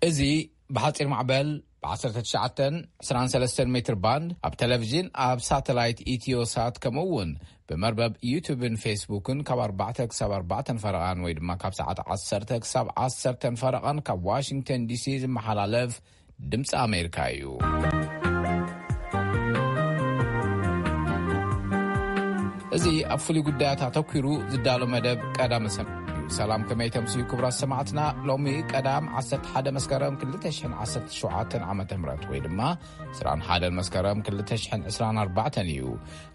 እዚ ብሓጺር ማዕበል ብ19 23 ሜትር ባንድ፣ ኣብ ቴሌቪዥን፣ ኣብ ሳተላይት ኢትዮሳት፣ ከምኡ እውን ብመርበብ ዩቱብን ፌስቡክን ካብ ኣርባዕተ ክሳብ ኣርባዕተ ፈረቓን ወይ ድማ ካብ ሰዓት ዓሰርተ ክሳብ ዓሰርተ ፈረቓን ካብ ዋሽንግተን ዲሲ ዝመሓላለፍ ድምፂ ኣሜሪካ እዩ። እዚ ኣብ ፍሉይ ጉዳያት ኣተኲሩ ዝዳሎ መደብ ቀዳመ ሰንበት እዩ። ሰላም፣ ከመይ ተምስዩ ክቡራት ሰማዕትና? ሎሚ ቀዳም 11 መስከረም 2017 ዓመተ ምህረት ወይ ድማ 21 መስከረም 2024 እዩ።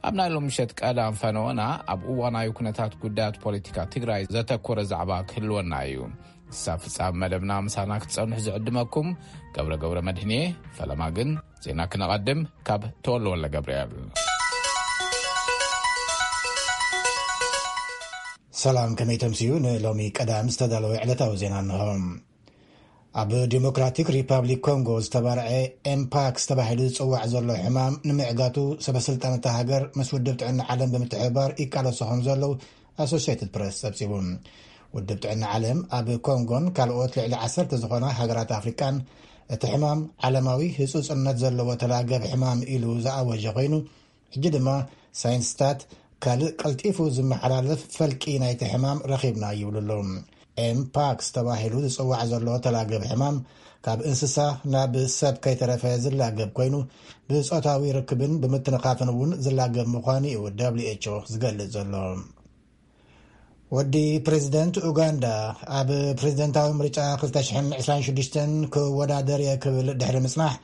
ኣብ ናይ ሎም ምሸት ቀዳም ፈነወና ኣብ እዋናዊ ኩነታት ጉዳያት ፖለቲካ ትግራይ ዘተኮረ ዛዕባ ክህልወና እዩ። ክሳብ ፍጻም መደብና ምሳና ክትጸንሑ ዝዕድመኩም ገብረ ገብረ መድህንየ። ፈለማ ግን ዜና ክነቐድም ካብ ተወልወለ ገብርኤል። ሰላም፣ ከመይ ተምስዩ? ንሎሚ ቀዳም ዝተዳለወ ዕለታዊ ዜና እንሆ። ኣብ ዲሞክራቲክ ሪፓብሊክ ኮንጎ ዝተባርዐ ኤምፓክስ ተባሂሉ ዝጽዋዕ ዘሎ ሕማም ንምዕጋቱ ሰበስልጣን እታ ሃገር ምስ ውድብ ጥዕና ዓለም ብምትሕብባር ይቃለሱ ከም ዘለዉ ኣሶሽየትድ ፕረስ ጸብጺቡ። ውድብ ጥዕና ዓለም ኣብ ኮንጎን ካልኦት ልዕሊ ዓሰርተ ዝኾና ሃገራት ኣፍሪቃን እቲ ሕማም ዓለማዊ ህጹጽነት ዘለዎ ተላገብ ሕማም ኢሉ ዝኣወጀ ኮይኑ፣ ሕጂ ድማ ሳይንስታት ካልእ ቀልጢፉ ዝመሓላለፍ ፈልቂ ናይቲ ሕማም ረኺብና ይብሉ ኣለዉ። ኤምፓክስ ተባሂሉ ዝጽዋዕ ዘሎ ተላገብ ሕማም ካብ እንስሳ ናብ ሰብ ከይተረፈ ዝላገብ ኮይኑ፣ ብጾታዊ ርክብን ብምትንኻፍን እውን ዝላገብ ምዃኑ እዩ ደብሊው ኤች ኦ ዝገልጽ ዘሎ። ወዲ ፕሬዚደንት ኡጋንዳ ኣብ ፕሬዚደንታዊ ምርጫ 2026 ክወዳደር እየ ክብል ድሕሪ ምጽናሕ፣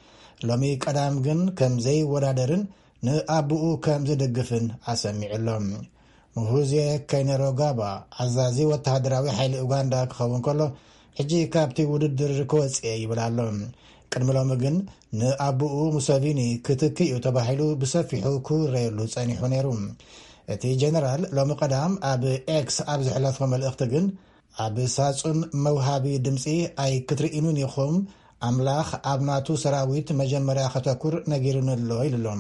ሎሚ ቀዳም ግን ከም ዘይወዳደርን ንኣቦኡ ከም ዝድግፍን ኣሰሚዑ ኣሎ። ሙሁዜ ከይነሮጋባ፣ ኣዛዚ ወተሃደራዊ ሓይሊ ኡጋንዳ ክኸውን ከሎ፣ ሕጂ ካብቲ ውድድር ክወጽእ እየ ይብል ኣሎ። ቅድሚ ሎሚ ግን ንኣቦኡ ሙሰቪኒ ክትኪ እዩ ተባሂሉ ብሰፊሑ ክውረየሉ ጸኒሑ ነይሩ። እቲ ጀነራል ሎሚ ቀዳም ኣብ ኤክስ ኣብ ዘሕለፎ መልእኽቲ ግን፣ ኣብ ሳጹን መውሃቢ ድምጺ ኣይክትርእኑን ኢኹም፣ ኣምላኽ ኣብ ናቱ ሰራዊት መጀመርያ ከተኩር ነጊሩኒ ኣሎ ኢሉ ኣሎ።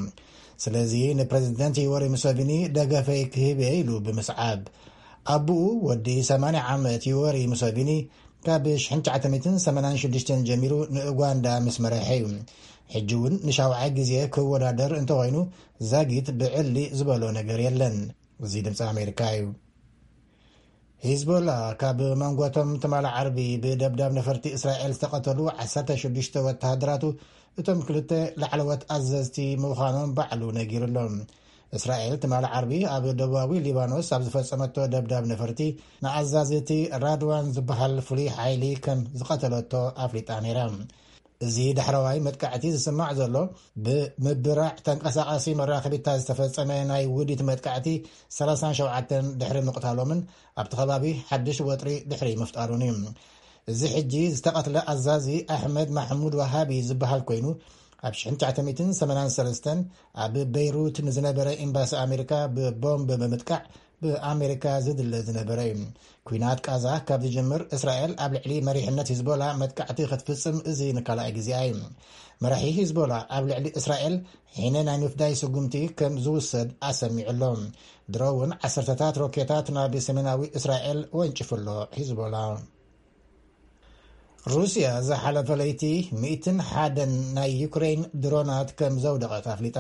ስለዚ ንፕሬዚደንት ዮወሪ ሙሰቪኒ ደገፈይ ክህብ እየ ኢሉ ብምስዓብ። ኣቦኡ ወዲ 80 ዓመት ዮወሪ ሙሰቪኒ ካብ 1986 ጀሚሩ ንኡጋንዳ ምስ መረሐ እዩ። ሕጂ እውን ንሻውዓይ ግዜ ክወዳደር እንተኾይኑ ዛጊት ብዕሊ ዝበሎ ነገር የለን። እዚ ድምፂ ኣሜሪካ እዩ። ሂዝቦላ ካብ መንጎቶም ትማሊ ዓርቢ ብደብዳብ ነፈርቲ እስራኤል ዝተቐተሉ 16 ወተሃደራቱ እቶም ክልተ ላዕለዎት ኣዘዝቲ ምዃኖም ባዕሉ ነጊሩ ኣሎ። እስራኤል ትማሊ ዓርቢ ኣብ ደቡባዊ ሊባኖስ ኣብ ዝፈጸመቶ ደብዳብ ነፈርቲ ንኣዛዚ እቲ ራድዋን ዝበሃል ፍሉይ ሓይሊ ከም ዝቐተለቶ ኣፍሊጣ ነይራ። እዚ ዳሕረዋይ መጥቃዕቲ ዝስማዕ ዘሎ ብምብራዕ ተንቀሳቓሲ መራኸቢታት ዝተፈጸመ ናይ ውዲት መጥቃዕቲ 37 ድሕሪ ምቕታሎምን ኣብቲ ከባቢ ሓድሽ ወጥሪ ድሕሪ ምፍጣሩን እዩ። እዚ ሕጂ ዝተቐትለ ኣዛዚ ኣሕመድ ማሕሙድ ዋሃቢ ዝበሃል ኮይኑ፣ ኣብ 1983 ኣብ በይሩት ንዝነበረ ኤምባሲ ኣሜሪካ ብቦምብ ብምጥቃዕ ብኣሜሪካ ዝድለ ዝነበረ እዩ። ኲናት ቃዛ ካብ ዝጅምር እስራኤል ኣብ ልዕሊ መሪሕነት ሂዝቦላ መጥቃዕቲ ክትፍጽም እዚ ንካልኣይ ግዜኣ እዩ። መራሒ ሂዝቦላ ኣብ ልዕሊ እስራኤል ሕነ ናይ ምፍዳይ ስጉምቲ ከም ዝውሰድ ኣሰሚዑ ኣሎ። ድሮ እውን ዓሰርተታት ሮኬታት ናብ ሰሜናዊ እስራኤል ወንጭፉ ኣሎ ሂዝቦላ። ሩስያ ዝሓለፈ ለይቲ 101 ናይ ዩክሬን ድሮናት ከም ዘውደቐት ኣፍሊጣ።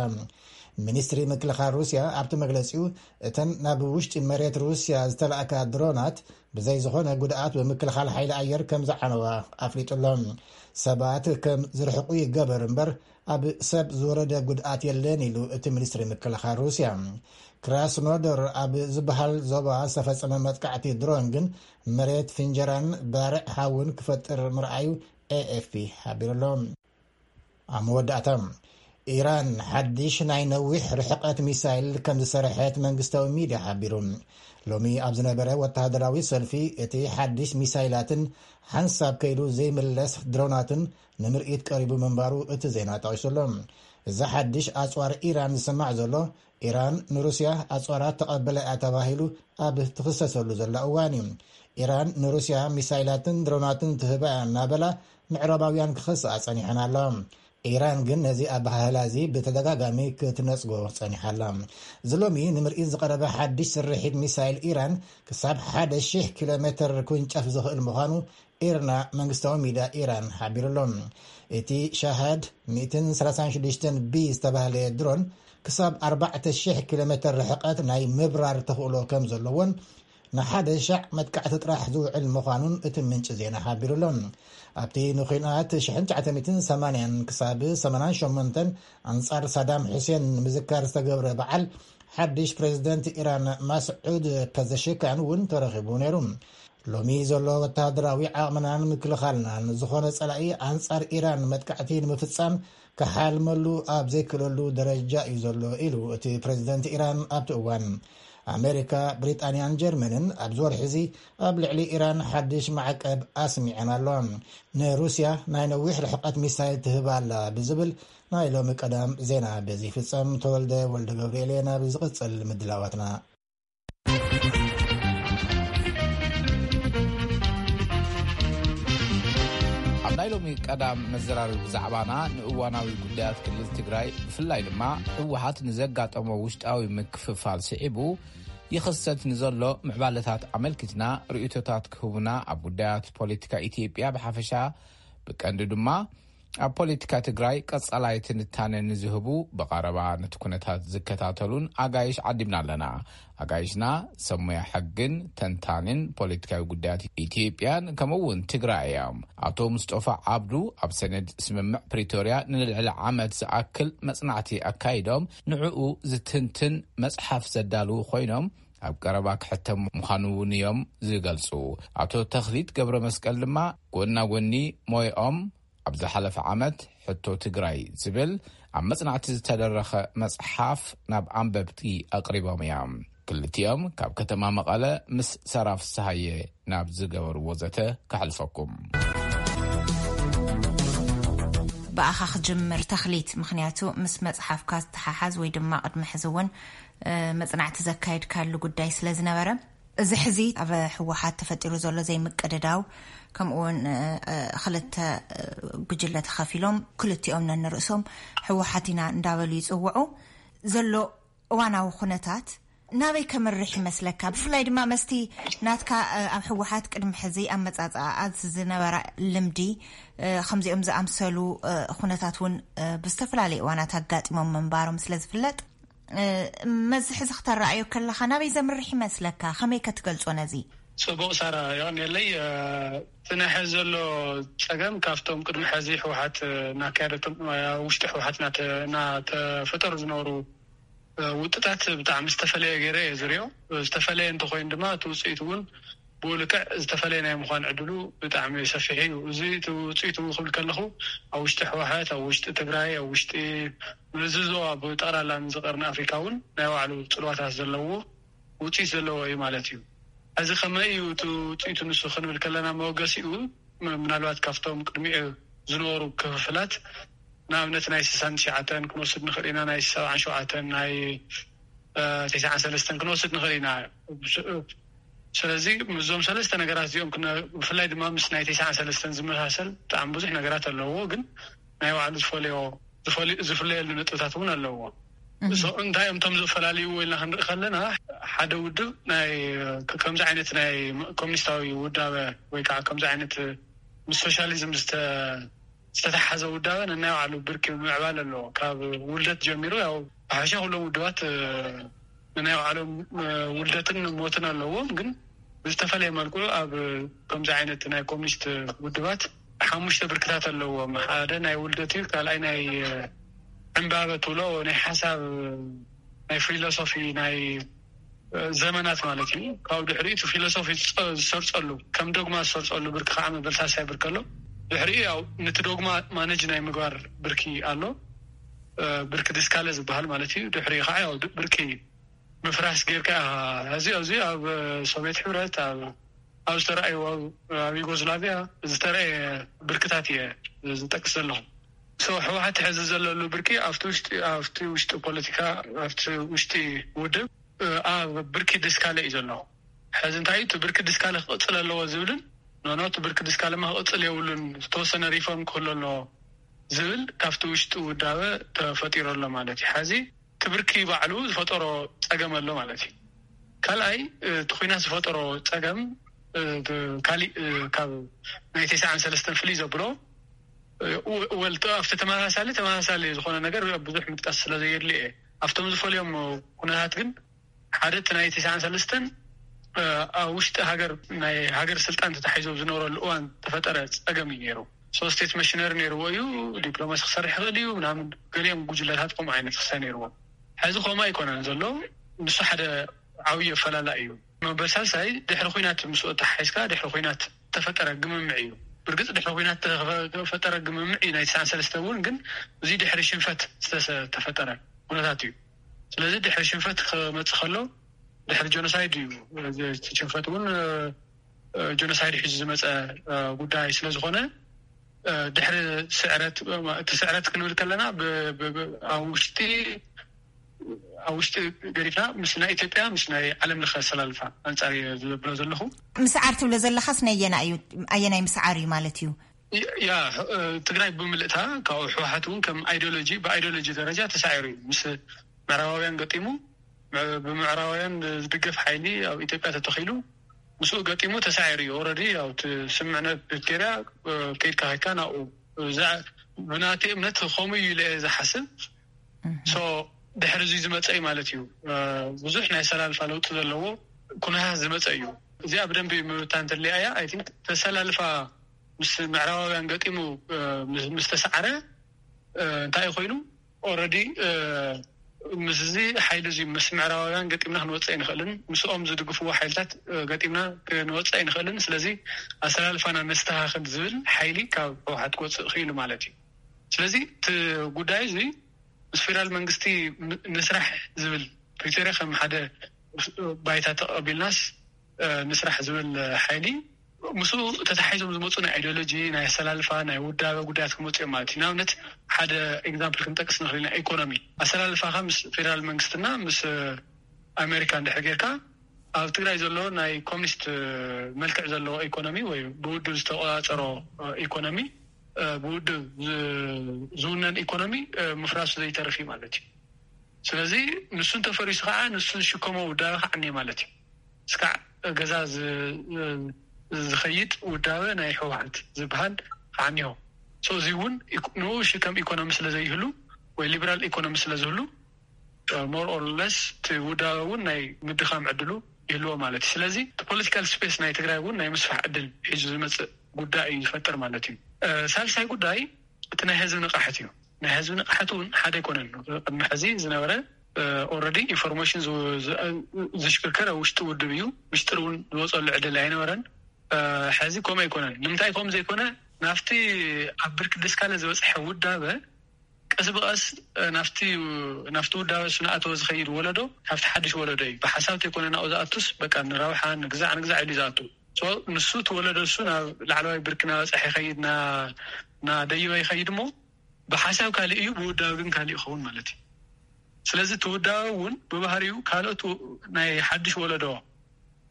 ሚኒስትሪ ምክልኻል ሩስያ ኣብቲ መግለጺኡ፣ እተን ናብ ውሽጢ መሬት ሩስያ ዝተላእካ ድሮናት ብዘይ ዝኾነ ጉድኣት ብምክልኻል ሓይሊ ኣየር ከም ዝዓነዋ ኣፍሊጡ ኣሎ። ሰባት ከም ዝርሕቁ ይገበር እምበር ኣብ ሰብ ዝወረደ ጉድኣት የለን ኢሉ እቲ ሚኒስትሪ ምክልኻል ሩስያ። ክራስኖደር ኣብ ዝበሃል ዞባ ዝተፈጸመ መጥቃዕቲ ድሮን ግን መሬት ፍንጀራን ባርዕ ሓውን ክፈጥር ምርኣዩ ኤኤፍፒ ሓቢሩ ኣሎ። ኣብ መወዳእታ፣ ኢራን ሓድሽ ናይ ነዊሕ ርሕቀት ሚሳይል ከም ዝሰረሐት መንግስታዊ ሚድያ ሓቢሩ። ሎሚ ኣብ ዝነበረ ወተሃደራዊ ሰልፊ፣ እቲ ሓድሽ ሚሳይላትን ሓንሳብ ከይዱ ዘይምለስ ድሮናትን ንምርኢት ቀሪቡ ምንባሩ እቲ ዜና ጠቒሱ ኣሎ። እዚ ሓድሽ ኣጽዋር ኢራን ዝስማዕ ዘሎ፣ ኢራን ንሩስያ ኣጽዋራት ተቐበለ እያ ተባሂሉ ኣብ ትኽሰሰሉ ዘላ እዋን እዩ። ኢራን ንሩስያ ሚሳይላትን ድሮናትን ትህባ እያ እናበላ ምዕራባውያን ክኸስኣ ጸኒሐን ኣለዋ። ኢራን ግን ነዚ ኣበሃህላ እዚ ብተደጋጋሚ ክትነጽጎ ጸኒሓ ኣላ። እዚ ሎሚ ንምርኢት ዝቐረበ ሓድሽ ስርሒት ሚሳይል ኢራን ክሳብ 1,000 ኪሎ ሜትር ክውንጨፍ ዝኽእል ምዃኑ ኢርና መንግስታዊ ሚድያ ኢራን ሓቢሩ ኣሎ። እቲ ሻሃድ ሚእትን ሰላሳን ሽዱሽተን ቢ ዝተባህለ ድሮን ክሳብ ኣርባዕተ ሽሕ ኪሎ ሜትር ርሕቀት ናይ ምብራር ተኽእሎ ከም ዘለዎን ንሓደ ሻዕ መጥቃዕቲ ጥራሕ ዝውዕል ምዃኑን እቲ ምንጪ ዜና ሓቢሩ ኣሎ። ኣብቲ ንኲናት ሽሕን ትሽዓተ ሚእትን ሰማንያን ክሳብ ሰማንያን ሸሞንተን ኣንጻር ሳዳም ሑሴን ንምዝካር ዝተገብረ በዓል ሓድሽ ፕሬዚደንት ኢራን ማስዑድ ፐዘሽካን እውን ተረኺቡ ነይሩ። ሎሚ ዘሎ ወተሃደራዊ ዓቕምናን ምክልኻልናን ዝኾነ ጸላኢ ኣንጻር ኢራን መጥቃዕቲ ንምፍጻም ክሓልመሉ ኣብ ዘይክእለሉ ደረጃ እዩ ዘሎ ኢሉ እቲ ፕሬዚደንት ኢራን ኣብቲ እዋን። ኣሜሪካ፣ ብሪጣንያን ጀርመንን ኣብዚ ወርሒ እዚ ኣብ ልዕሊ ኢራን ሓድሽ ማዕቀብ ኣስሚዐን ኣለዋ። ንሩስያ ናይ ነዊሕ ርሕቀት ሚሳይል ትህብ ኣላ ብዝብል ናይ ሎሚ ቀዳም ዜና በዚ ይፍጸም። ተወልደ ወልደ ገብርኤል እየ ናብ ዝቕጽል ምድላዋትና። ኣብ ናይ ሎሚ ቀዳም መዘራረቢ ብዛዕባና ንእዋናዊ ጉዳያት ክልል ትግራይ፣ ብፍላይ ድማ ህወሓት ንዘጋጠሞ ውሽጣዊ ምክፍፋል ስዒቡ ይኽሰት ንዘሎ ምዕባለታት ኣመልኪትና ርእይቶታት ክህቡና፣ ኣብ ጉዳያት ፖለቲካ ኢትዮጵያ ብሓፈሻ፣ ብቀንዱ ድማ ኣብ ፖለቲካ ትግራይ ቀጻላይ ትንታነ ንዝህቡ፣ ብቐረባ ነቲ ኩነታት ዝከታተሉን ኣጋይሽ ዓዲምና ኣለና። ኣጋይሽና ሰብ ሞያ ሕግን ተንታንን ፖለቲካዊ ጉዳያት ኢትዮጵያን ከምኡ እውን ትግራይ እዮም። ኣቶ ሙስጦፋ ዓብዱ ኣብ ሰነድ ስምምዕ ፕሪቶርያ ንልዕሊ ዓመት ዝኣክል መጽናዕቲ ኣካይዶም ንዕኡ ዝትንትን መጽሓፍ ዘዳልዉ ኮይኖም ኣብ ቀረባ ክሕተም ምዃኑ እውን እዮም ዝገልጹ። ኣቶ ተኽሊት ገብረ መስቀል ድማ ጎና ጎኒ ሞይኦም ኣብ ዝሓለፈ ዓመት ሕቶ ትግራይ ዝብል ኣብ መጽናዕቲ ዝተደረኸ መጽሓፍ ናብ ኣንበብቲ ኣቕሪቦም እዮም። ክልቲኦም ካብ ከተማ መቐለ ምስ ሰራ ፍስሃየ ናብ ዝገበርዎ ዘተ ከሕልፈኩም። ብኣኻ ክጅምር ተኽሊት፣ ምኽንያቱ ምስ መጽሓፍካ ዝተሓሓዝ ወይ ድማ ቅድሚ ሕዚ እውን፣ እ፣ መጽናዕቲ ዘካየድካሉ ጉዳይ ስለ ዝነበረ፣ እዚ ሕዚ ኣብ ህወሓት ተፈጢሩ ዘሎ ዘይምቅድዳው፣ ከምኡ እውን፣ እ፣ እ፣ ክልተ፣ እ፣ ጉጅለ ተኸፊሎም፣ ክልቲኦም ነንርእሶም ህወሓት ኢና እንዳበሉ ይጽውዑ ዘሎ እዋናዊ ኩነታት ናበይ ከምርሕ ይመስለካ? ብፍላይ ድማ መስቲ ናትካ፣ እ፣ ኣብ ህወሓት ቅድሚ ሕዚ ኣመጻጽኣ ኣዝ ዝነበረ ልምዲ፣ እ፣ ከምዚኦም ዝኣምሰሉ፣ እ፣ ኩነታት እውን፣ እ፣ ብዝተፈላለዩ እዋናት ኣጋጢሞም ምንባሮም ስለ ዝፍለጥ፣ እ፣ መዚ ሕዚ ክተረኣዮ ከለኻ ናበይ ዘምርሕ ይመስለካ? ከመይ ከትገልጾ ነዚ? ጽቡቕ ሳራ፣ የቐንየለይ። እ፣ እቲ ናይ ሕዚ ዘሎ ጸገም ካብቶም ቅድሚ ሕዚ ህወሓት፣ እ፣ እናካየደቶም፣ እ፣ ኣብ ውሽጢ ህወሓት እናተ-፣ እናተፈጠሩ ዝነበሩ፣ እ፣ ውጥታት ብጣዕሚ ዝተፈለየ ገይረ እየ ዝሪኦ። ዝተፈለየ እንተኾይኑ ድማ እቲ ውፅኢት እውን ብኡ ልክዕ ዝተፈለየ ናይ ምዃን ዕድሉ ብጣዕሚ ሰፊሕ እዩ። እዚ እቲ ውፅኢቱ ክብል ከለኹ ኣብ ውሽጢ ህወሓት፣ ኣብ ውሽጢ ትግራይ፣ ኣብ ውሽጢ፣ ነዚ ዞባ ብጠቕላላ ንዚ ቀርኒ ኣፍሪካ እውን ናይ ባዕሉ ፅልዋታት ዘለዎ ውፅኢት ዘለዎ እዩ ማለት እዩ። እዚ ከመይ እዩ እቲ ውፅኢቱ ንሱ ክንብል ከለና መወገሲኡ ም-፣ ምናልባት ካብቶም ቅድሚኡ ዝነበሩ ክፍፍላት ንኣብነት ናይ ስሳን ትሽዓተን ክንወስድ ንኽእል ኢና፣ ናይ ሰብዓን ሸውዓተን፣ ናይ፣ እ፣ ተስዓን ሰለስተን ክንወስድ ንኽእል ኢና። ስ-፣ ስለዚ ምስዞም ሰለስተ ነገራት እዚኦም ክነ-፣ ብፍላይ ድማ ምስ ናይ ተስዓን ሰለስተን ዝመሳሰል ብጣዕሚ ብዙሕ ነገራት ኣለዎ፣ ግን ናይ ባዕሉ ዝፈልዮ፣ ዝፈል-፣ ዝፍለየሉ ነጥብታት እውን ኣለዎ። እዞ እንታይ እዮም እቶም ዝፈላለዩ ኢልና ክንርኢ ከለና፣ ሓደ ውድብ ናይ ከ-፣ ከምዚ ዓይነት ናይ ኮሚኒስታዊ ውዳበ ወይ ከዓ ከምዚ ዓይነት ምስ ሶሻሊዝም ዝተ-፣ ዝተተሓዘ ውዳበ ነናይ ባዕሉ ብርኪ ምዕባል ኣለዎ። ካብ ውልደት ጀሚሩ ያው ብሓፈሻ ኩሎም ውድባት፣ እ፣ ነናይ ባዕሎም፣ እ፣ ውልደትን ሞትን ኣለዎም፣ ግን ብዝተፈለየ መልክዑ ኣብ ከምዚ ዓይነት ናይ ኮሚኒስት ውድባት ሓሙሽተ ብርክታት ኣለዎም። ሓደ ናይ ውልደት እዩ፣ ካልኣይ ናይ፣ እ፣ ዕምባበ ትብሎ ናይ ሓሳብ፣ ናይ ፊሎሶፊ፣ ናይ ዘመናት ማለት እዩ። ካብ ድሕሪኡ እቲ ፊሎሶፊ ዝፀ-፣ ዝሰርፀሉ፣ ከም ዶግማ ዝሰርፀሉ ብርኪ ከዓ መበል ሳልሳይ ብርኪ ኣሎ። ድሕሪኡ ያው ነቲ ዶግማ ማነጅ ናይ ምግባር ብርኪ ኣሎ። እ፣ ብርኪ ድስካለ ዝበሃል ማለት እዩ። ድሕሪኡ ከዓ ያው ድ-፣ ብርኪ ምፍራስ ጌርካ ኢኻ። እዚ ኣብዚ ኣብ ሶቪየት ሕብረት፣ ኣብ፣ ኣብ ዝተረኣዩ፣ ኣብ፣ ኣብ ዩጎዝላቪያ ዝተረኣየ ብርክታት እየ ዝጠቅስ ዘለኹ። ሶ ህወሓት ሕዚ ዘለሉ ብርኪ ኣብቲ ውሽጢ፣ ኣብቲ ውሽጢ ፖለቲካ፣ ኣብቲ ውሽጢ ውድብ፣ እ፣ ኣብ ብርኪ ድስካለ እዩ ዘሎ። ሕዚ እንታይ እዩ እቲ ብርኪ ድስካለ ክቕጽል ኣለዎ ዝብልን፣ ኖ፣ ኖ፣ እቲ ብርኪ ድስካለማ ክቕጽል የብሉን፣ ዝተወሰነ ሪፎርም ክህሉ ኣለዎ ዝብል ካብቲ ውሽጢ ውዳበ ተፈጢሩ ኣሎ ማለት እዩ። ሕዚ እቲ ብርኪ ባዕሉ ዝፈጠሮ ጸገም ኣሎ ማለት እዩ። ካልኣይ፣ እ፣ እቲ ኲናት ዝፈጠሮ ጸገም፣ ካሊእ ካብ ናይ ተስዓን ሰለስተን ፍልይ ዘብሎ ወልጠ ኣብቲ ተመሳሳሊ ተመሳሳሊ ዝኾነ ነገር ብዙሕ ምጥቃስ ስለ ዘየድሊ እየ። ኣብቶም ዝፈልዮም ኩነታት ግን ሓደ እቲ ናይ ተስዓን ሰለስተን ኣብ ውሽጢ ሃገር ናይ ሃገር ስልጣን ተታሒዞ ዝነበረሉ እዋን ተፈጠረ ጸገም እዩ ነይሩ። ሶስቴት መሽነሪ ነይርዎ እዩ። ዲፕሎማሲ ክሰርሕ ይኽእል እዩ ምናምን። ገሊኦም ጉጅለታት ከምኡ ዓይነት ክሳ ነይርዎም። ሕዚ ከምኡ ኣይኮነን ዘሎ። ንሱ ሓደ ዓብዪ ኣፈላላ እዩ። መበል ሳልሳይ ድሕሪ ኩናት ምስ ተሓሒዝካ ድሕሪ ኩናት ተፈጠረ ግምምዕ እዩ። ብርግጽ ድሕሪ ኩናት ተፈጠረ ግምምዕ እዩ ናይ ተስዓን ሰለስተ እውን፣ ግን እዚ ድሕሪ ሽንፈት ዝተፈጠረ ኩነታት እዩ። ስለዚ ድሕሪ ሽንፈት ክመጽእ ከሎ ድሕሪ ጀኖሳይድ እዩ። ሽንፈት እውን ጀኖሳይድ ሒዙ ዝመፀ ጉዳይ ስለዝኾነ ድሕሪ ስዕረት እቲ ስዕረት ክንብል ከለና ኣብ ውሽጢ ኣብ ውሽጢ ገዲፍና ምስ ናይ ኢትዮጵያ ምስ ናይ ዓለም ለኸ ኣሰላልፋ ኣንፃር እየ ዝብሎ ዘለኹ። ምስዓር ትብሎ ዘለኻስ ነየና እዩ? ኣየናይ ምስዓር እዩ ማለት እዩ? ያ ትግራይ ብምልእታ ካብኡ ህወሓት እውን ከም ኣይዲዮሎጂ ብኣይዲዮሎጂ ደረጃ ተሳዒሩ እዩ። ምስ ምዕራባውያን ገጢሙ ብምዕራባውያን ዝድገፍ ሓይሊ ኣብ ኢትዮጵያ ተተኺሉ ምስኡ ገጢሙ ተሳዒሩ እዩ። ኦረዲ ኣብ ስምምዕነት ፕሪቶርያ ከይድካ ከይድካ ናብኡ ብናተይ እምነት ከምኡ እዩ ኢለ ዝሓስብ። ሶ ድሕሪ እዚ ዝመፀ እዩ ማለት እዩ። ብዙሕ ናይ ኣሰላልፋ ለውጢ ዘለዎ ኩነታት ዝመፀ እዩ። እዚኣ ብደንቢ ምብታን እንተድልያ እያ። ኣይ ቲንክ ተሰላልፋ ምስ ምዕራባውያን ገጢሙ ምስ ተሰዓረ እንታይ ኮይኑ ኦረዲ ምስዚ ሓይሊ እዚ ምስ ምዕራባውያን ገጢምና ክንወፅእ ኣይንኽእልን፣ ምስኦም ዝድግፍዎ ሓይልታት ገጢምና ክንወፅእ ኣይንኽእልን። ስለዚ ኣሰላልፋና ነስተኻኽል ዝብል ሓይሊ ካብ ህወሓት ክወፅእ ክኢሉ ማለት እዩ። ስለዚ እቲ ጉዳይ እዚ ምስ ፌደራል መንግስቲ ንስራሕ ዝብል ፕሪቶርያ ከም ሓደ ባይታ ተቐቢልናስ ንስራሕ ዝብል ሓይሊ ምስኡ ተታሒዞም ዝመፁ ናይ ኣይዲዮሎጂ ናይ ኣሰላልፋ ናይ ውዳበ ጉዳያት ክመፁ እዮም ማለት እዩ። ንኣብነት ሓደ ኤግዛምፕል ክንጠቅስ ንኽእል ኢና። ኢኮኖሚ ኣሰላልፋኻ ምስ ፌደራል መንግስትና ምስ ኣሜሪካ እንድሕር ጌርካ ኣብ ትግራይ ዘሎ ናይ ኮሚኒስት መልክዕ ዘለዎ ኢኮኖሚ ወይ ብውድብ ዝተቆፃፀሮ ኢኮኖሚ ብውድብ ዝውነን ኢኮኖሚ ምፍራሱ ዘይተርፍ እዩ ማለት እዩ። ስለዚ ንሱ እንተፈሪሱ ከዓ ንሱ ዝሽከሞ ውዳበ ክዓኒ ማለት እዩ። እስካዕ ገዛ ዝኸይድ ውዳበ ናይ ህወሓት ዝበሃል ክዓኒ እዩ። እዚ እውን ንኡ ሽከም ኢኮኖሚ ስለዘይህሉ ወይ ሊበራል ኢኮኖሚ ስለዝህሉ more or less እቲ ውዳበ እውን ናይ ምድኻም ዕድሉ ይህልዎ ማለት እዩ። ስለዚ እቲ ፖለቲካል ስፔስ ናይ ትግራይ እውን ናይ ምስፋሕ ዕድል ሒዙ ዝመፅእ ጉዳይ እዩ ዝፈጥር ማለት እዩ። ሳልሳይ ጉዳይ እቲ ናይ ህዝቢ ንቕሓት እዩ። ናይ ህዝቢ ንቕሓት እውን ሓደ ኣይኮነን። ቅድሚ ሕዚ ዝነበረ ኦረዲ ኢንፎርሜሽን ዝሽክርከር ኣብ ውሽጢ ውድብ እዩ። ምሽጥር እውን ዝወፀሉ ዕድል ኣይነበረን። ሕዚ ከምኡ ኣይኮነን። ንምንታይ ከምኡ ዘይኮነ? ናብቲ ኣብ ብርኪ ደስካለ ዝበፅሐ ውዳበ ቀስ ብቐስ ናፍቲ ናፍቲ ውዳበ እሱ ናእተወ ዝኸይድ ወለዶ ካብቲ ሓድሽ ወለዶ እዩ። ብሓሳብ ተይኮነ ናብኡ ዝኣቱስ በቃ ንረብሓ ንግዛዕ ንግዛዕ ኢሉ ዝኣቱ። ንሱ እቲ ወለዶ እሱ ናብ ላዕለዋይ ብርኪ ናበፀሐ ይኸይድ፣ ናደይበ ይኸይድ እሞ ብሓሳብ ካሊእ እዩ፣ ብውዳበ ግን ካሊእ ይኸውን ማለት እዩ። ስለዚ እቲ ውዳበ እውን ብባህሪኡ ካልኦት ናይ ሓድሽ ወለዶ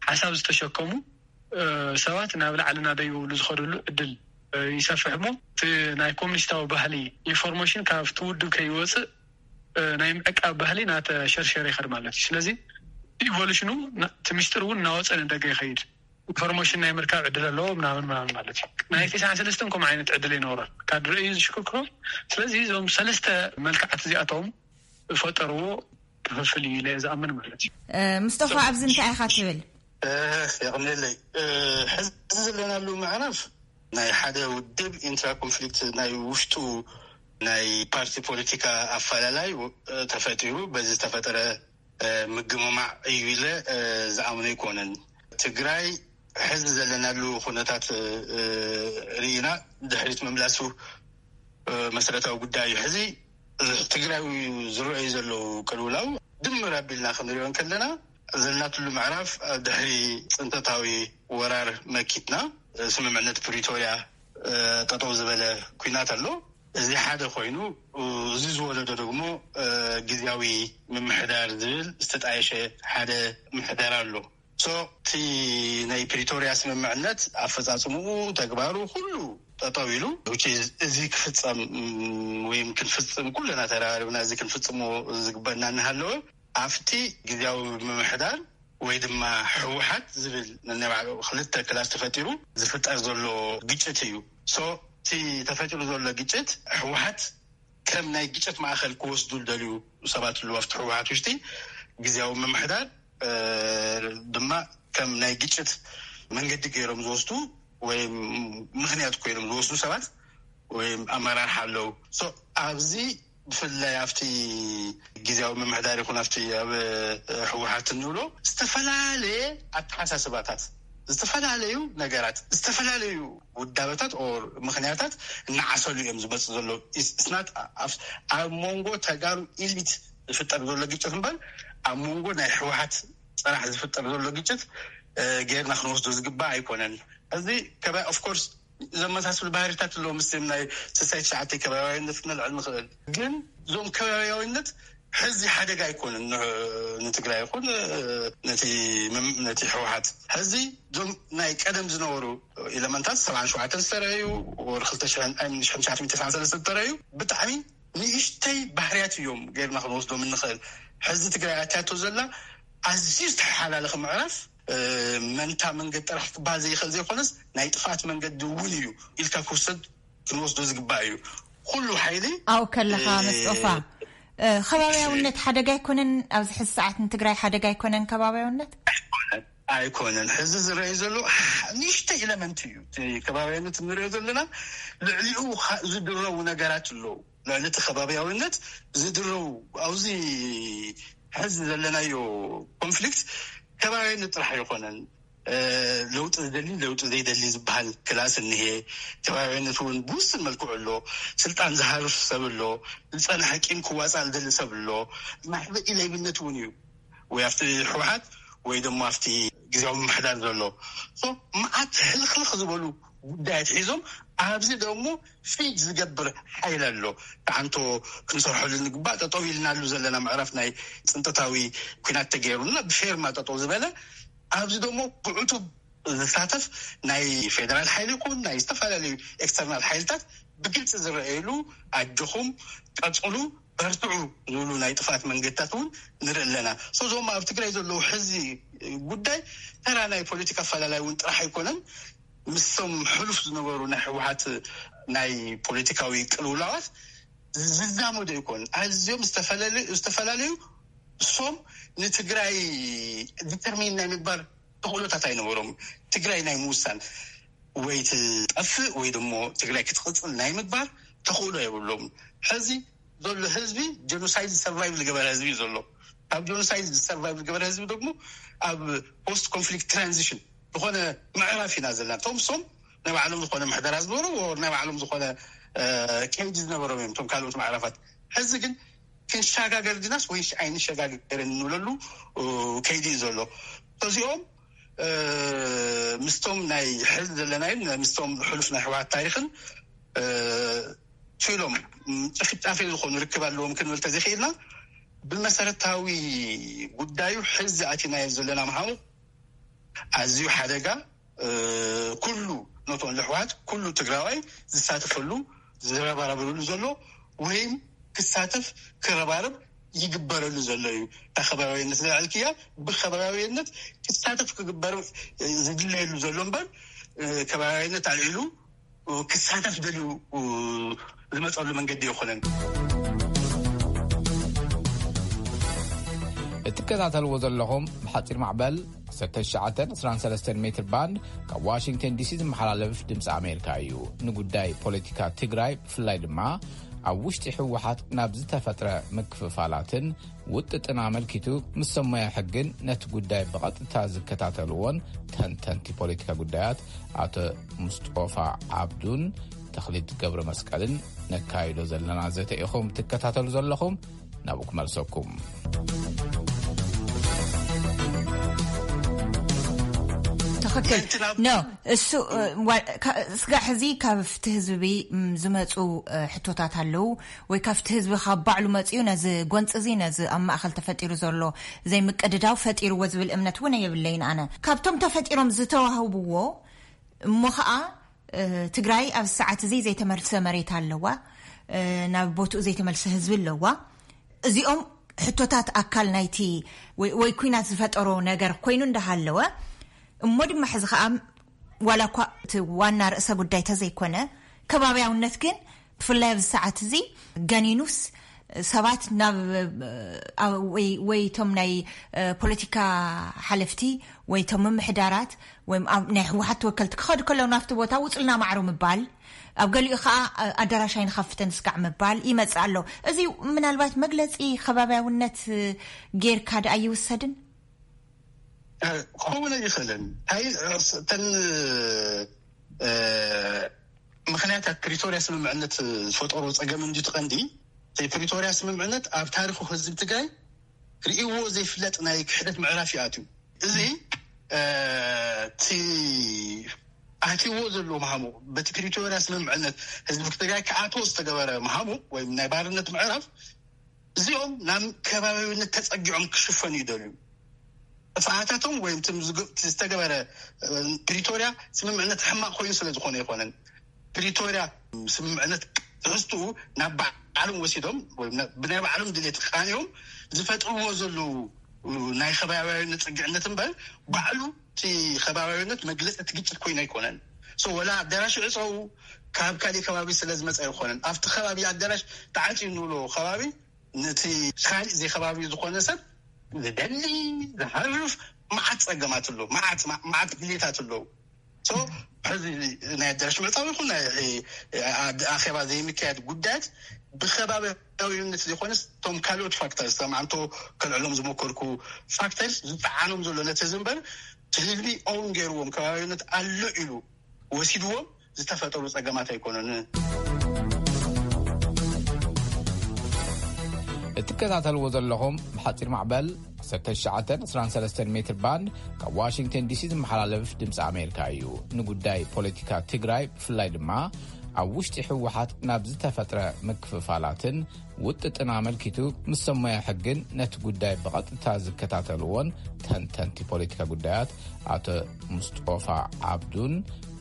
ሓሳብ ዝተሸከሙ ሰባት ናብ ላዕሊ ናደይበ ዝኸድሉ ዕድል ይሰፍሕ እሞ እቲ ናይ ኮሚኒስታዊ ባህሊ ኢንፎርሜሽን ካብቲ ውድብ ከይወፅእ ናይ ምዕቃብ ባህሊ ናተሸርሸረ ይኸድ ማለት እዩ። ስለዚ ኢቮሉሽኑ እቲ ሚስጥር እውን እናወፀ ንደገ ይኸይድ። ኢንፎርሜሽን ናይ ምርካብ ዕድል ኣለዎ ምናምን ምናምን ማለት እዩ። ናይ ቴስዓን ሰለስተን ከምኡ ዓይነት ዕድል ኣይነበሮን። ካድረ እዩ ዝሽክክሮ። ስለዚ እዞም ሰለስተ መልክዓት እዚኣቶም ዝፈጠርዎ ክፍፍል እዩ ኢለ ዝኣምን ማለት እዩ። ምስጠፋ ኣብዚ እንታይ ኢኻ ትብል? የቕንየለይ። ሕዚ ዘለናሉ ምዕራፍ ናይ ሓደ ውድብ ኢንትራ ኮንፍሊክት ናይ ውሽጡ ናይ ፓርቲ ፖለቲካ ኣፈላላይ ተፈጢሩ በዚ ዝተፈጠረ ምግምማዕ እዩ ኢለ ዝኣምኖ ኣይኮነን። ትግራይ ሕዚ ዘለናሉ ኩነታት ርኢና ድሕሪት ምምላሱ መሰረታዊ ጉዳይ እዩ። ሕዚ ትግራይ ዝረኣዩ ዘለዉ ቅልውላው ድምር ኣቢልና ክንሪኦ እንከለና ዘለናትሉ ምዕራፍ ድሕሪ ፅንተታዊ ወራር መኪትና ስምምዕነት ፕሪቶርያ ጠጠው ዝበለ ኩናት ኣሎ። እዚ ሓደ ኮይኑ እዚ ዝወለዶ ደግሞ ግዝያዊ ምምሕዳር ዝብል ዝተጣየሸ ሓደ ምሕደር ኣሎ። ሶ እቲ ናይ ፕሪቶርያ ስምምዕነት ኣፈፃፅምኡ ተግባሩ ኩሉ ጠጠው ኢሉ እዚ ክፍፀም ወይም ክንፍፅም ኩለና ተራባሪብና እዚ ክንፍፅሞ ዝግበና እናሃለወ ኣብቲ ግዝያዊ ምምሕዳር ወይ ድማ ህወሓት ዝብል ነናይ ባዕሉ ክልተ ክላስ ተፈጢሩ ዝፍጠር ዘሎ ግጭት እዩ። So እቲ ተፈጢሩ ዘሎ ግጭት ህወሓት ከም ናይ ግጭት ማእኸል ክወስዱ ዝደልዩ ሰባት ኣለዉ ኣብቲ ህወሓት ውሽጢ። ግዝያዊ ምምሕዳር ድማ ከም ናይ ግጭት መንገዲ ገይሮም ዝወስዱ ወይ ምኽንያት ኮይኖም ዝወስዱ ሰባት ወይ ኣመራርሓ ኣለዉ። So ኣብዚ ብፍላይ ኣብቲ ግዝያዊ ምምሕዳር ይኹን ኣብቲ ኣብ ህወሓት እንብሎ ዝተፈላለየ ኣተሓሳስባታት፣ ዝተፈላለዩ ነገራት፣ ዝተፈላለዩ ውዳበታት or ምኽንያታት እናዓሰሉ እዮም ዝመፁ ዘለዉ። It's not ኣብ መንጎ ተጋሩ ኢሊት ዝፍጠር ዘሎ ግጭት እምበር ኣብ መንጎ ናይ ህወሓት ፅራሕ ዝፍጠር ዘሎ ግጭት ገይርና ክንወስዶ ዝግባእ ኣይኮነን። እዚ ከባቢ of course ዘመሳስሉ ባህሪታት ኣለዎ ምስ ናይ ስሳይ ትሽዓተ ከባቢያዊነት ክነልዕል ንኽእል። ግን እዞም ከባቢያዊነት ሕዚ ሓደጋ ኣይኮነን ንትግራይ ይኹን ነቲ ህወሓት። ሕዚ እዞም ናይ ቀደም ዝነበሩ ኤለመንታት ሰብዓን ሸውዓተን ዝተረዩ ወር ክልተ ሽሕን ተሰዓን ሰለስተ ዝተረዩ ብጣዕሚ ንእሽተይ ባህርያት እዮም ገይርና ክንወስዶም እንኽእል። ሕዚ ትግራይ ኣትያቶ ዘላ ኣዝዩ ዝተሓላለኸ ምዕራፍ መንታ መንገዲ ጥራሕ ክበሃል ዘይኽእል ዘይኮነስ ናይ ጥፍኣት መንገዲ እውን እዩ ኢልካ ክውሰድ ክንወስዶ ዝግባእ እዩ። ኩሉ ሓይሊ ኣው ከለኻ መስጦፋ ከባብያውነት ሓደጋ ኣይኮነን? ኣብዚ ሕዚ ሰዓት ንትግራይ ሓደጋ ኣይኮነን ከባብያውነት? ኣይኮነን። ሕዚ ዝረአዩ ዘሎ ንእሽተይ ኢለመንት እዩ። ከባብያውነት እንሪኦ ዘለና ልዕሊኡ ዝድረቡ ነገራት ኣለዉ። ልዕሊ እቲ ከባብያውነት ዝድረቡ ኣብዚ ሕዚ ዘለናዮ ኮንፍሊክት ከባብያውነት ጥራሕ ኣይኮነን። ለውጢ ዝደሊ ለውጢ ዘይደሊ ዝበሃል ክላስ እኒሄ። ከባብያውነት እውን ብውስን መልክዑ ኣሎ። ስልጣን ዝሃርፍ ሰብ ኣሎ። ዝፀንሐ ቂም ክዋፃእ ዝደሊ ሰብ ኣሎ። ማሕበ ኢለይብነት እውን እዩ ወይ ኣብቲ ህወሓት ወይ ደሞ ኣብቲ ግዜያዊ ምምሕዳር ዘሎ። So መዓት ሕልኽልኽ ዝበሉ ጉዳያት ሒዞም ኣብዚ ደሞ ፊድ ዝገብር ሓይል ኣሎ። ተዓንቶ ክንሰርሐሉ ንግባእ ጠጠው ኢልናሉ ዘለና ምዕራፍ ናይ ፅንጠታዊ ኩናት ተገይሩና ብፌርማ ጠጠው ዝበለ ኣብዚ ደሞ ብዕቱብ ዝሳተፍ ናይ ፌደራል ሓይሊ ይኹን ናይ ዝተፈላለዩ ኤክስተርናል ሓይልታት ብግልፂ ዝረኣየሉ ኣጆኹም ቀፅሉ በርትዑ ዝብሉ ናይ ጥፍኣት መንገድታት እውን ንርኢ ኣለና። So እዞም ኣብ ትግራይ ዘለዉ ሕዚ ጉዳይ ተራ ናይ ፖለቲካ ኣፈላላይ እውን ጥራሕ ኣይኮነን። ምስቶም ሕሉፍ ዝነበሩ ናይ ህወሓት ናይ ፖለቲካዊ ቅልውላዋት ዝዛመዱ ኣይኮኑን። ኣዝዮም ዝተፈላለዩ ዝተፈላለዩ እሶም ንትግራይ ዲተርሚን ናይ ምግባር ተኽእሎታት ኣይነበሮም። ትግራይ ናይ ምውሳን ወይ ትጠፍእ ወይ ደሞ ትግራይ ክትቕፅል ናይ ምግባር ተኽእሎ የብሎም። ሕዚ ዘሎ ህዝቢ ጀኖሳይድ ሰርቫይቭ ዝገበረ ህዝቢ እዩ ዘሎ። ካብ ጀኖሳይድ ሰርቫይቭ ዝገበረ ህዝቢ ደግሞ ኣብ ፖስት ኮንፍሊክት ትራንዚሽን ዝኾነ ምዕራፍ ኢና ዘለና። እቶም ሶም ናይ ባዕሎም ዝኾነ ምሕደራ ዝነበሩ ናይ ባዕሎም ዝኾነ ከይዲ ዝነበሮም እዮም እቶም ካልኦት ምዕራፋት። ሕዚ ግን ክንሸጋገር ድናስ ወይስ ኣይንሸጋገርን እንብለሉ ከይዲ እዩ ዘሎ። እዚኦም ምስቶም ናይ ሕዚ ዘለናይን ምስቶም ሕሉፍ ናይ ህወሓት ታሪኽን ችሎም ጭፍጫፌ ዝኾኑ ርክብ ኣለዎም ክንብል ተዘይኽኢልና ብመሰረታዊ ጉዳዩ ሕዚ ኣቲናዮ ዘለና ምሃኑ ኣዝዩ ሓደጋ ኩሉ ኖቶን ልሕዋት ኩሉ ትግራዋይ ዝሳተፈሉ ዝረባረብሉ ዘሎ ወይም ክሳተፍ ክረባረብ ይግበረሉ ዘሎ እዩ። እታ ከባቢያዊነት ዝለዓልክያ ብከባቢያዊነት ክሳተፍ ክግበር ዝድለየሉ ዘሎ እምበር ከባቢያዊነት ኣልዒሉ ክሳተፍ ደልዩ ዝመፀሉ መንገዲ ይኮነን። እትከታተልዎ ዘለኹም ብሓፂር ማዕበል ዓሰርተ ትሽዓተ ዕስራን ሰለስተን ሜትር ባንድ ካብ ዋሽንግተን ዲሲ ዝመሓላለፍ ድምፂ ኣሜሪካ እዩ። ንጉዳይ ፖለቲካ ትግራይ ብፍላይ ድማ ኣብ ውሽጢ ህወሓት ናብ ዝተፈጥረ ምክፍፋላትን ውጥጥን ኣመልኪቱ ምስ ሰሞያ ሕግን ነቲ ጉዳይ ብቐጥታ ዝከታተልዎን ተንተንቲ ፖለቲካ ጉዳያት ኣቶ ሙስጦፋ ዓብዱን ተኽሊት ገብረ መስቀልን ነካይዶ ዘለና ዘተ ኢኹም ትከታተሉ ዘለኹም። ናብኡ ክመልሰኩም። ትኽክል ኖ እሱ ስጋዕ ሕዚ ካብ ፍቲ ህዝቢ ዝመፁ ሕቶታት ኣለዉ ወይ ካብቲ ህዝቢ ካብ ባዕሉ መፅኡ ነዚ ጎንፂ እዚ ነዚ ኣብ ማእኸል ተፈጢሩ ዘሎ ዘይምቅድዳው ፈጢርዎ ዝብል እምነት እውን የብለይን ኣነ። ካብቶም ተፈጢሮም ዝተዋህብዎ እሞ ከዓ ትግራይ ኣብ ሰዓት እዚ ዘይተመልሰ መሬት ኣለዋ፣ ናብ ቦትኡ ዘይተመልሰ ህዝቢ ኣለዋ። እዚኦም ሕቶታት ኣካል ናይቲ ወይ ወይ ኲናት ዝፈጠሮ ነገር ኮይኑ እንዳሃለወ፣ እሞ ድማ ሕዚ ከኣ ዋላ እኳ እቲ ዋና ርእሰ ጉዳይ ተዘይኮነ፣ ከባብያውነት ግን ብፍላይ ኣብዚ ሰዓት እዚ ገኒኑስ ሰባት ናብ፣ እ፣ ወይ ወይ እቶም ናይ፣ እ፣ ፖለቲካ ሓለፍቲ ወይ እቶም ምምሕዳራት ወይ ኣብ ናይ ህወሓት ተወከልቲ ክኸዱ ከለዉ ናብቲ ቦታ ውፅልና ማዕሩ ምባል፣ ኣብ ገሊኡ ከዓ፣ እ፣ ኣዳራሽ ኣይንኸፍትን ስጋዕ ምባል ይመፅእ ኣሎ። እዚ ምናልባት መግለፂ ከባብያውነት፣ እ፣ ጌርካ ደኣ ይውሰድን? ክኸውን ኣይኽእልን። እንታይ እተን፣ እ፣ ምኽንያታት ፕሪቶርያ ስምምዕነት ዝፈጠሮ ጸገም እንዲ ትቐንዲ፣ እቲ ፕሪቶርያ ስምምዕነት ኣብ ታሪኹ ህዝቢ ትግራይ ርእይዎ ዘይፍለጥ ናይ ክሕደት ምዕራፍ ይኣትዩ። እዚ፣ እ፣ እቲ ኣትይዎ ዘሎ መሃሙቕ፣ በቲ ፕሪቶርያ ስምምዕነት ህዝቢ ትግራይ ክኣትዎ ዝተገበረ መሃሙቕ ወይም ናይ ባርነት ምዕራፍ፣ እዚኦም ናብ ከባቢያዊነት ተጸጊዖም ክሽፈኑ ይደልዩ። ጥፍኣታቶም ወይም ትም ዝግ-፣ እቲ ዝተገበረ፣ እ፣ ፕሪቶርያ ስምምዕነት ሕማቕ ኮይኑ ስለ ዝኾነ ኣይኮነን። ፕሪቶርያ ስምምዕነት ትሕዝትኡ ናብ ባዕሎም ወሲዶም ወይም ና-፣ ብናይ ባዕሎም ድሌት ቃንዮም ዝፈጥርዎ ዘለዉ ናይ ከባቢያዊነት ጽግዕነት እምበር፣ ባዕሉ እቲ ከባቢያዊነት መግለጺ እቲ ግጭት ኮይኑ ኣይኮነን። ሶ ወላ ኣዳራሽ ዕጸው ካብ ካሊእ ከባቢ ስለ ዝመጸ ኣይኮነን። ኣብቲ ከባቢ ኣዳራሽ ተዓጽዩ እንብሎ ከባቢ ነቲ ካሊእ ዘይ ከባቢ ዝኾነ ሰብ ዝደሊ፣ ዝሃርፍ መዓት ጸገማት ኣሎ፣ መዓት፣ መዓት ድሌታት ኣለዉ። ሶ ሕዚ ናይ ኣዳራሽ ምዕጻው ይኹን ናይ፣ እ፣ ኣ-፣ ኣኼባ ዘይምክያድ ጉዳያት ብከባቢያዊነት ዘይኮነስ እቶም ካልኦት ፋክተርስ፣ ከም ኣንቶ ከልዕሎም ዝመከርኩ ፋክተርስ ዝጠዓኖም ዘሎ ነቲ ህዝቢ እምበር፣ እቲ ህዝቢ ኦውን ገይርዎም ከባቢያዊነት ኣሎ ኢሉ ወሲድዎም ዝተፈጠሩ ጸገማት ኣይኮነን። እትከታተልዎ ዘለኹም ብሓጺር ማዕበል ዓሰርተ ትሽዓተ ዕስራን ሰለስተን ሜትር ባንድ ካብ ዋሽንግተን ዲሲ ዝመሓላለፍ ድምፂ ኣሜሪካ እዩ። ንጉዳይ ፖለቲካ ትግራይ ብፍላይ ድማ ኣብ ውሽጢ ህወሓት ናብ ዝተፈጥረ ምክፍፋላትን ውጥጥን ኣመልኪቱ ምስ ሰሞያ ሕግን ነቲ ጉዳይ ብቐጥታ ዝከታተልዎን ተንተንቲ ፖለቲካ ጉዳያት ኣቶ ሙስጦፋ ዓብዱን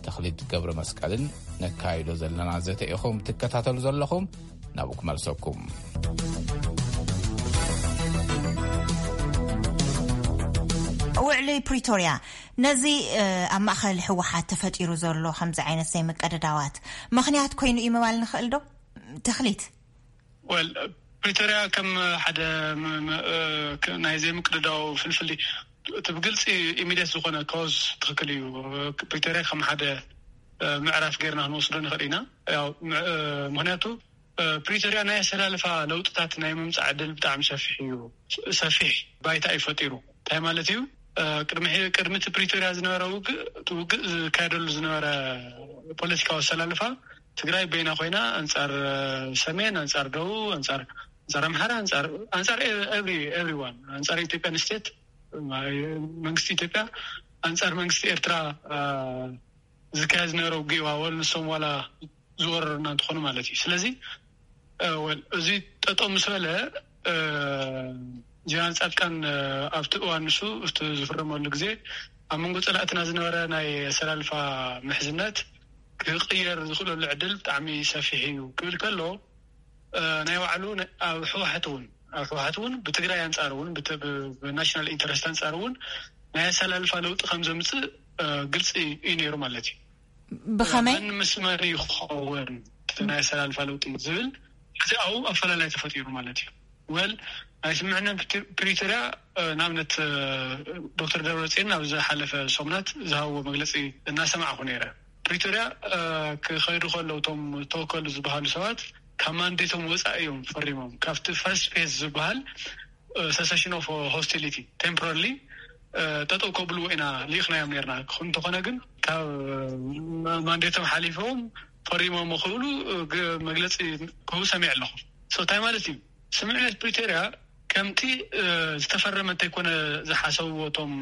ተኽሊት ገብረ መስቀልን ነካይዶ ዘለና ዘተ ኢኹም ትከታተሉ ዘለኹም። ናብኡ ክመልሰኩም። ውዕሊ ፕሪቶርያ ነዚ፣ እ፣ ኣብ ማእኸል ህወሓት ተፈጢሩ ዘሎ ከምዚ ዓይነት ዘይምቅድዳዋት ምኽንያት ኮይኑ እዩ ምባል ንኽእል ዶ? ተኽሊት። ወል ፕሪቶርያ ከም ሓደ ም-፣ ም-፣ እ፣ ክ-፣ ናይ ዘይምቅድዳው ፍልፍል እቲ ብግልፂ ኢሚዲየት ዝኾነ ኮዝ ትኽክል እዩ። ፕሪቶርያ ከም ሓደ፣ እ፣ ምዕራፍ ጌርና ክንወስዶ ንኽእል ኢና። ያው፣ ም-፣ እ፣ ምኽንያቱ፣ እ፣ ፕሪቶርያ ናይ ኣሰላልፋ ለውጥታት ናይ ምምፃእ ዕድል ብጣዕሚ ሰፊሕ እዩ። ስ-፣ ሰፊሕ ባይታ እዩ ፈጢሩ። እንታይ ማለት እዩ? እ፣ ቅድሚ ሕ-፣ ቅድሚ እቲ ፕሪቶርያ ዝነበረ ውግእ፣ እቲ ውግእ ዝካየደሉ ዝነበረ ፖለቲካዊ ኣሰላልፋ ትግራይ በይና ኮይና ኣንጻር፣ እ፣ ሰሜን፣ ኣንጻር ደቡብ፣ ኣንጻር፣ ኣንጻር ኣምሓራ፣ ኣንጻር፣ ኣንጻር ኤ-፣ ኤቭሪ፣ ኤቭሪዋን፣ ኣንጻር ኢትዮጵያን ስቴት፣ ማ-፣ መንግስቲ ኢትዮጵያ፣ ኣንጻር መንግስቲ ኤርትራ፣ እ፣ ዝካየድ ዝነበረ ውግእ እዩ። ዋላ ንሶም ዋላ ዝወረሩና እንተኾኑ ማለት እዩ። ስለዚ፣ እ፣ ወል-፣ እዚ ጠጠው ምስ በለ፣ እ፣ ጀነራል ጻድቃን፣ እ፣ ኣብቲ እዋን ንሱ እቲ ዝፍረመሉ ግዜ ኣብ መንጎ ጸላእትና ዝነበረ ናይ ኣሰላልፋ ምሕዝነት ክቕየር ዝኽእለሉ ዕድል ብጣዕሚ ሰፊሕ እዩ ክብል ከሎ፣ እ፣ ናይ ባዕሉ ነ-፣ ኣብ ህወሓት እውን፣ ኣብ ህወሓት እውን ብትግራይ ኣንጻር እውን ብት-፣ ብ-፣ ብናሽናል ኢንተረስት ኣንጻር እውን ናይ ኣሰላልፋ ለውጢ ከም ዘምጽእ፣ እ፣ ግልጺ እዩ ነይሩ ማለት እዩ። ብኸመይ? መን ምስ መን ይኸውን እቲ ናይ ኣሰላልፋ ለውጢ ዝብል፣ እዚ ኣብኡ ኣፈላላይ ተፈጢሩ ማለት እዩ። ወል፣ ናይ ስምምዕነት ፕሪቶርያ፣ እ፣ ንኣብነት፣ እ፣ ዶክተር ደብረጽዮን ኣብ ዝሓለፈ ሰሙናት ዝሃብዎ መግለጺ እናሰማዕኹ ነይረ። ፕሪቶርያ፣ እ፣ ክኸይዱ ከለዉ እቶም ተወከሉ ዝበሃሉ ሰባት ካብ ማንዴቶም ወፃኢ እዮም ፈሪሞም። ካብቲ ፈርስት ፌዝ ዝበሃል፣ እ፣ ሰሰሽን ኦፍ ሆስቲሊቲ ቴምፖራሪ፣ እ፣ ጠጠው ከብልዎ ኢና ልኢኽናዮም ነርና። ክኹን እንተኾነ ግን ካብ፣ እ፣ ማ-፣ ማንዴቶም ሓሊፎም ፈሪሞም ክብሉ፣ እ፣ ግ-፣ መግለፂ ክህቡ ሰሚዐ ኣለኹ። ሶ እንታይ ማለት እዩ? ስምምዕነት ፕሪቶርያ ከምቲ፣ እ፣ ዝተፈረመ እንተይኮነ ዝሓሰብዎ እቶም፣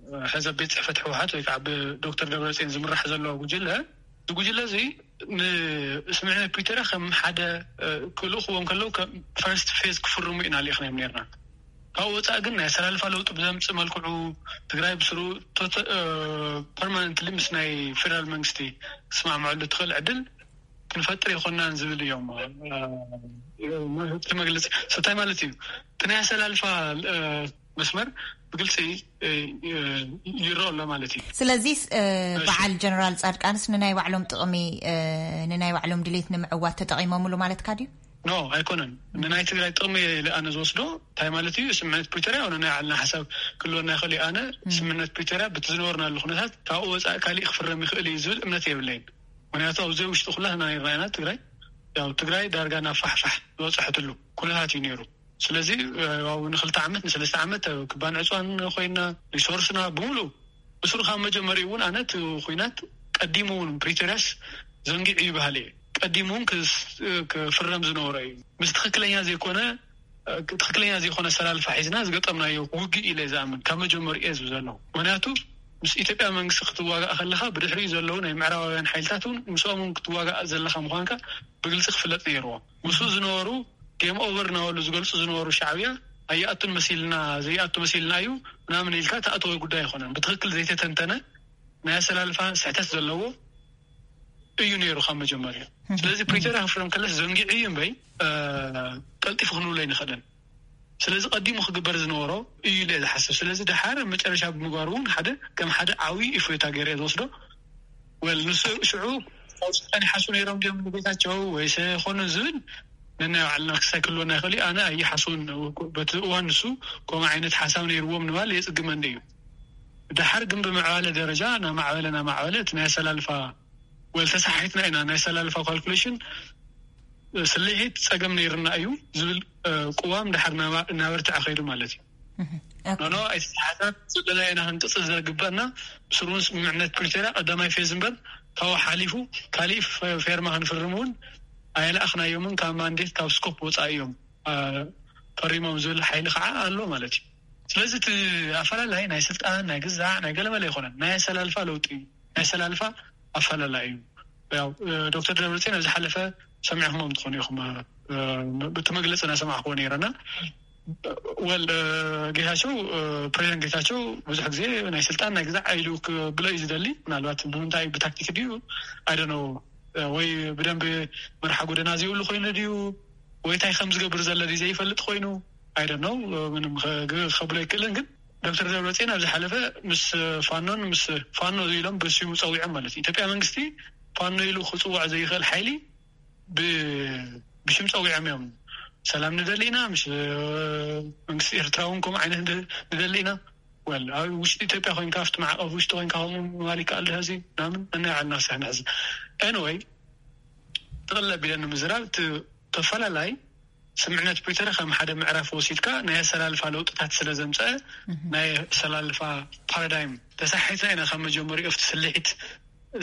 እ፣ ሕዚ ኣብ ቤት ጽሕፈት ህወሓት ወይ ከዓ ብዶክተር ደብረጽዮን ዝምራሕ ዘሎ ጉጅለ፣ እዚ ጉጅለ እዚ ንስምምዕነት ፕሪቶርያ ከም ሓደ፣ እ፣ ክልእኽዎም ከለዉ ከም ፈርስት ፌዝ ክፍርሙ ኢና ልኢኽናዮም ነርና። ካብኡ ወፃኢ ግን ናይ ኣሰላልፋ ለውጢ ብዘምፅእ መልክዑ ትግራይ ብስሩ ቶተ-፣ እ፣ ፐርማነንትሊ ምስ ናይ ፌደራል መንግስቲ ክትስማዕምዐሉ ትኽእል ዕድል ክንፈጥር ይኮናን ዝብል እዮም። እቲ መግለፂ ስታይ ማለት እዩ። እቲ ናይ ኣሰላልፋ መስመር ብግልፂ ይረኦ ኣሎ ማለት እዩ። ስለዚ በዓል ጀነራል ፃድቃንስ ንናይ ባዕሎም ጥቕሚ ንናይ ባዕሎም ድሌት ንምዕዋት ተጠቒሞምሉ ማለትካ ድዩ? ኖ፣ ኣይኮነን። ንናይ ትግራይ ጥቕሚ ኣነ ዝወስዶ እንታይ ማለት እዩ? ስምምዕነት ፕሪቶርያ ንናይ ዓልና ሓሳብ ክልወና ይኽእል እዩ። ኣነ ስምምዕነት ፕሪቶርያ በቲ ዝነበርናሉ ኩነታት ካብኡ ወፃኢ ካሊእ ክፍረም ይኽእል እዩ ዝብል እምነት የብለይን። ምክንያቱ ኣብዚ ውሽጢ ኩላትና ይረኣየና ትግራይ ያው ትግራይ ዳርጋ ናብ ፋሕፋሕ ዝበፅሐትሉ ኩነታት እዩ ነይሩ። ስለዚ ያው ንክልተ ዓመት ንሰለስተ ዓመት ክባን ዕፅዋን ኮይና ሪሶርስና ብምሉ ብስሩ ካብ መጀመሪኡ እውን ኣነ እቲ ኩናት ቀዲሙ እውን ፕሪቶርያስ ዘንጊዑ ይበሃል እየ። ቀዲሙ እውን ክፍረም ዝነበሮ እዩ። ምስ ትክክለኛ ዘይኮነ ትክክለኛ ዘይኮነ ኣሰላልፋ ሒዝና ዝገጠምናዮ ውግእ ኢለ ዝኣምን ካብ መጀመሪኡ እየ ዝብል ዘለኹ። ምክንያቱ ምስ ኢትዮጵያ መንግስቲ ክትዋጋእ ከለካ ብድሕሪኡ ዘለዉ ናይ ምዕራባውያን ሓይልታት እውን ምስኦም እውን ክትዋጋእ ዘለካ ምኳንካ ብግልፂ ክፍለጥ ነይርዎ። ምስኡ ዝነበሩ ጌም ኦቨር እናበሉ ዝገልፁ ዝነበሩ ሻዕብያ ኣይኣቱን መሲልና ዘይኣቱ መሲልና እዩ ምናምን ኢልካ ተኣተወ ጉዳይ ኣይኮነን። ብትክክል ዘይተተንተነ ናይ ኣሰላልፋ ስሕተት ዘለዎ እዩ ነይሩ ካብ መጀመርያ። ስለዚ ፕሪቶርያ ክፍረም ከለስ ዘንጊዑ እዩ እምበይ ቀልጢፉ ክንብሎ ኣይንኽእልን። ስለዚ ቀዲሙ ክግበር ዝነበሮ እዩ ኢለ ዝሓስብ። ስለዚ ደሓር መጨረሻ ብምግባሩ እውን ሓደ ከም ሓደ ዓብዪ እፎይታ ገይረ ዝወስዶ ወል ንሱ ሽዑ ካብ ስልጣን ይሓሱ ነይሮም ድዮም ንጌታቸው ወይስ ኮኑ ዝብል ነናይ ባዕልና ክሳይ ክልወና ይኽእል እዩ። ኣነ ኣይሓስውን። በቲ እዋን ንሱ ከምኡ ዓይነት ሓሳብ ነይርዎም ንባል የፅግመኒ እዩ። ድሓር ግን ብምዕባለ ደረጃ ናማዕበለ ናማዕበለ እቲ ናይ ኣሰላልፋ ወል ተሳሒትና ኢና ናይ ኣሰላልፋ ካልኩሌሽን ስልሒት ፀገም ነይርና እዩ ዝብል ቅዋም ድሓር እናበርትዐ ከይዱ ማለት እዩ። ኖኖ ኣይተተሓሳብ ዘለና ኢና ክንቅፅል ዘግበእና ብስሩን ስምምዕነት ፕሪቶርያ ቀዳማይ ፌዝ እምበር ካብኡ ሓሊፉ ካሊእ ፌርማ ክንፍርም እውን ኣይለኣኽናዮምን ካብ ማንዴት ካብ ስኮፕ ወፃኢ እዮም ፈሪሞም ዝብል ሓይሊ ከዓ ኣሎ ማለት እዩ። ስለዚ እቲ ኣፈላላይ ናይ ስልጣን ናይ ግዛዕ ናይ ገለመለ ኣይኮነን። ናይ ኣሰላልፋ ለውጢ እዩ። ናይ ኣሰላልፋ ኣፈላላይ እዩ። ያው ዶክተር ደብረፅዮን ኣብ ዝሓለፈ ሰሚዕኹሞም ትኾኑ ኢኹም። እቲ መግለፂ እናሰማዕክዎ ነይረና ወል ጌታቸው ፕሬዚደንት ጌታቸው ብዙሕ ግዜ ናይ ስልጣን ናይ ግዛዕ ኢሉ ክብሎ እዩ ዝደሊ። ምናልባት ብምንታይ ብታክቲክ ድዩ ኣይደነው ወይ ብደንብ መርሓ ጎደና ዘይብሉ ኮይኑ ድዩ ወይ እንታይ ከም ዝገብር ዘሎ ድዩ ዘይፈልጥ ኮይኑ ኣይደነው ምንም ከብሎ ኣይክእልን። ግን ዶክተር ደብረፅዮን ኣብ ዝሓለፈ ምስ ፋኖን ምስ ፋኖ ኢሎም ብስሙ ፀዊዖም ማለት እዩ። ኢትዮጵያ መንግስቲ ፋኖ ኢሉ ክፅዋዕ ዘይኽእል ሓይሊ ብሽም ፀዊዖም እዮም። ሰላም ንደሊ ኢና ምስ መንግስቲ ኤርትራ እውን ከምኡ ዓይነት ንደሊ ኢና። ወል ኣብ ውሽጢ ኢትዮጵያ ኮይንካ ኣብቲ ማዕቀፍ ውሽጢ ኮይንካ ከምኡ ምባል ይከኣል ድሕዚ ምናምን ነናይ ባዕልና ክሳሕ ንሕዚ ኤንወይ ጥቕልል ኣቢለ ንምዝራብ እቲ ተፈላላይ ስምምዕነት ፕሪቶርያ ከም ሓደ ምዕራፍ ወሲድካ ናይ ኣሰላልፋ ለውጥታት ስለ ዘምፀአ ናይ ኣሰላልፋ ፓራዳይም ተሳሒትና ኢና ካብ መጀመሪኡ ኣብቲ ስልሒት።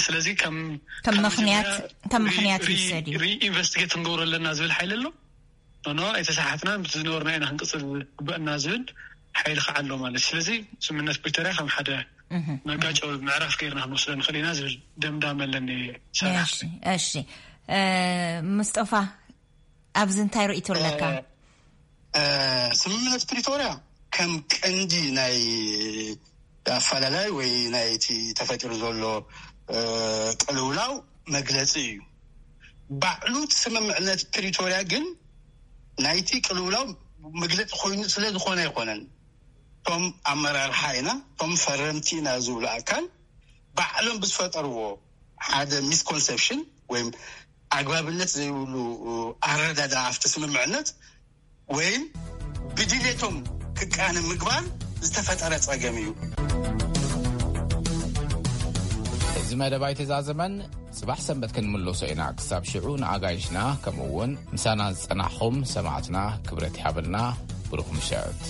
ስለዚ ከም ከም ምክንያት ከም ምክንያት ይውሰድ እዩ። ሪኢንቨስቲጌት ክንገብሮ ኣለና ዝብል ሓይሊ ኣሎ። ኖኖ ኣይተሳሓትና ምስ ዝነበርና ኢና ክንቅፅል ግበእና ዝብል ሓይሊ ከዓ ኣሎ ማለት። ስለዚ ስምምዕነት ፕሪቶርያ ከም ሓደ መጋጨዊ ምዕራፍ ገይርና ክንወስዶ ንኽእል ኢና ዝብል ደምዳመ ኣለኒ። ሰራሕ እሺ። ሙስጠፋ ኣብዚ እንታይ ርእይቶ ኣለካ? ስምምነት ፕሪቶርያ ከም ቀንዲ ናይ ኣፈላላይ ወይ ናይቲ ተፈጢሩ ዘሎ ቅልውላው መግለፂ እዩ። ባዕሉ ስምምዕነት ፕሪቶርያ ግን ናይቲ ቅልውላው መግለፂ ኮይኑ ስለ ዝኾነ ኣይኮነን። እቶም ኣመራርሓ ኢና እቶም ፈረምቲ ኢና ዝብሉ ኣካል ባዕሎም ብዝፈጠርዎ ሓደ ሚስኮንሰፕሽን ወይም ኣግባብነት ዘይብሉ ኣረዳዳ ኣብቲ ስምምዕነት ወይም ብድሌቶም ክቃነ ምግባር ዝተፈጠረ ፀገም እዩ። እዚ መደብ ኣይተዛዘመን። ጽባሕ ሰንበት ክንምለሶ ኢና። ክሳብ ሽዑ ንኣጋይሽና ከምኡ እውን ምሳና ዝጸናሕኹም ሰማዕትና ክብረት ይሃበልና። ብሩኽ ምሸት።